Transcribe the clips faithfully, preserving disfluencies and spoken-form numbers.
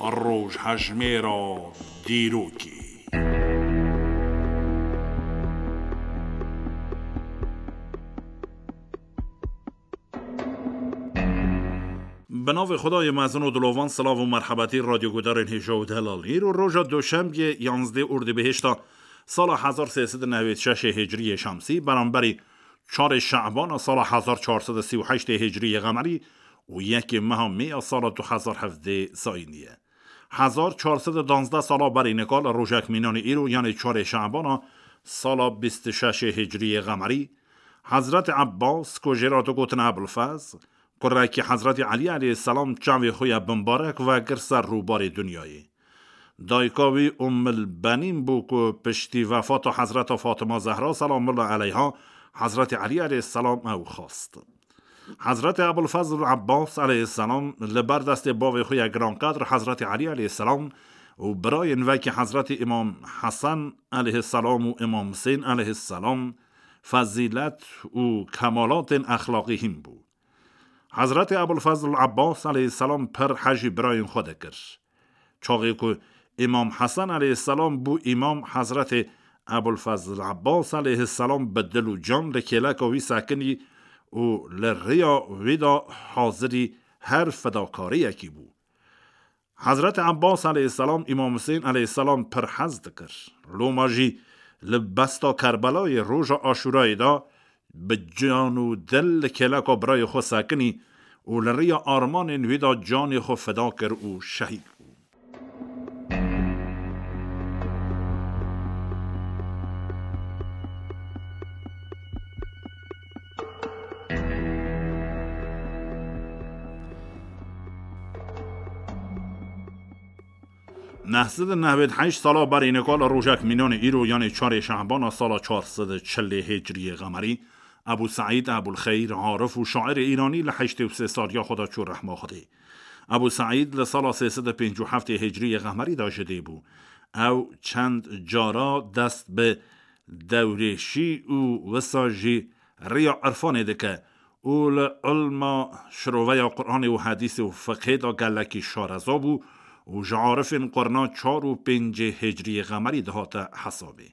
Rojhejmêra dîrokê. Bi navê Xwedayê mezin û dilovan, silav û merhebetî radyogudarên hêja û delal. Îro roja doşembiyê, yanzdê Ordîbihêşta sala hezar sê sed û newêd şeşê hicriyê şemsî, beramberî çarê Şe'bana sala hezar çar sed û sî û heştê hicriyê qemerî û yekê meha Mêya sala du hezar hevdê zayînî ye. Hezar çar sed û danzdeh sala berî nika li rojek mînanê îro, yanê çarê Şe'bana sala bîst û şeşê hicriyê qemerî, Hezretê Ebbas, ku jê re digotin Ebulfez, kurekî Hezretî Elî aleyhisselam çavê xwe ya bimbarek vekir ser rûbarê dinyayê. Dayika wî Ummul Benîn bû ku piştî wefata Hezreta Fatima Zehra selamullah aleyha, Hezretî Elî aleyhisselam ew xwest. Hezretê Ebulfezl Ebbas aleyhisselam li ber destê bavê xwe ya giranqedr Hezretî Elî aleyhisselam û birayên wekî Hezretî Îmam Hesen aleyhisselam û Îmam Husên aleyhisselam fezîlet û kemalatên exlaqî hîn bû. Hezretê Ebulfezl Ebbas aleyhisselam pir hejî birayên xwe dikir. Çaxê ku Îmam Hesen aleyhisselam bû îmam, Hezretê Ebulfezl Ebbas aleyhisselam bi dil û can li kêleka wî sekinî û li rêya wî de hazirî her fedakariyekî bû. Hezretê Ebbas aleyhisselam Îmam Husên aleyhisselam pir hez dikir. Loma jî li besta Kerbelayê roja Aşûrayê de bi can û dil li kêleka birayê xwe sekinî û li rêya armanên wî de canê xwe feda kir û şehîd bû. Neh sed û newêd heşt sala berî nika li rojek mînanê îro, yanê çarê Şehbana sala çar sed û çilê Hicriyê Qemerî, Ebû Seîd Ebûl Xeyr, arif û şairê îranî, li heştê û sê saliya xwe de çû rehma Xwedê. Ebû Seîd li sala sê sed û pêncî û heftê Hicriyê Qemerî de ji dê bû. Ew çend cara dest bi dewrêşî û wisa jî rêya irfanê dike û li ilma şiroveya Qur'anê û hedîsê û fiqhê de gelekî şareza bû û ji arifên qurna çar û pêncê Hicriyê Qemerî dihate hesabê.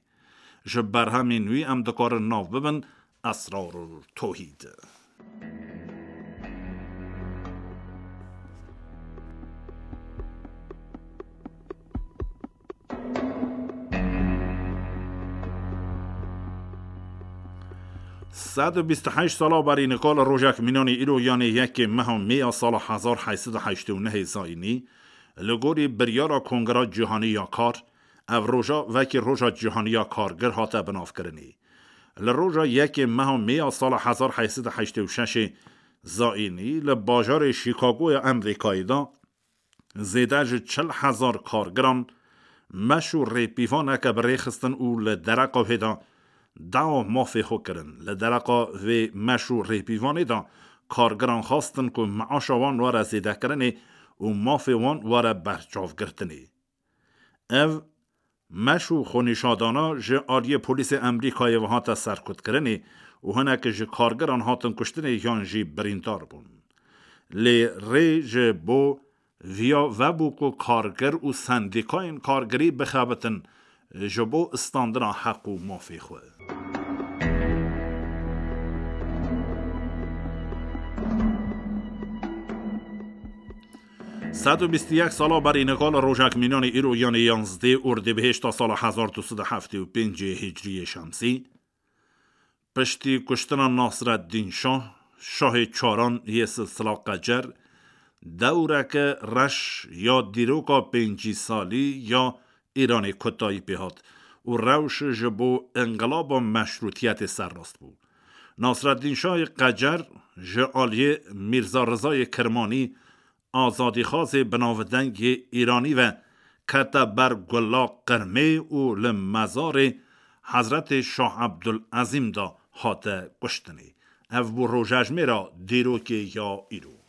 Ji berhemên wî em dikarin nav bibin Esrarul Tohîd. Sed û bîst û heşt sala berî nika li rojek mînanê îro, yanê yekê meha Mêya sala hezar heşt sed û heştê û nehê zayînî, li gorî biryara Kongra Cîhanî ya Kar, ev roja wekî Roja Cîhanî ya Kargir hate binavkirinê. Li roja yekê meha Mêya sala hezar heşt sed û heştê û şeşê zayînî li bajarê Chicagoya Amerîkayê de zêde ji çil hezar kargiran meş û rêpîvaneke bi rê xistin û li dereqa wê de dawa mafê xwe kirin. Li dereqa vê meş û rêpîvanê de kargiran xwestin ku meaşa wan were zêdekirinê û mafê wan were berçavgirtinê. Ev meş û xwenîşadana ji aliyê polîsê Amerîkayê ve hate serkutkirinê û hinek ji kargiran hatin kuştinê yan jî birîndar bûn. Lê rê ji bo viya vebû ku kargir û sendîkayên kargirî bixebitin ji bo istandina heq û mafê xwe. Sed û bîst û yek sala berî nika li rojek mînanê îro, yanê yanzdê Ordîbihêşta sala hezar du sed û heftê û pêncê Hicriyê Şemsî, piştî kuştina Nasreddîn Şah, şahê çaran yê silsila Qecer, dewreke reş ya dîroka pêncî salî ya Îranê kotayî pê hat û rewş ji bo înqilaba meşrûtiyetê serrast bû. Nasreddîn Şahê Qecer ji aliyê Mîrza Rizayê Kirmanî, azadîxwazê binavdeng yê Îranî ve kete ber gula qirmê û li mezarê Hezretê Şah Ebdulezîm de hate kuştinê. Ev bû rojejmêra dîrokê ya îro.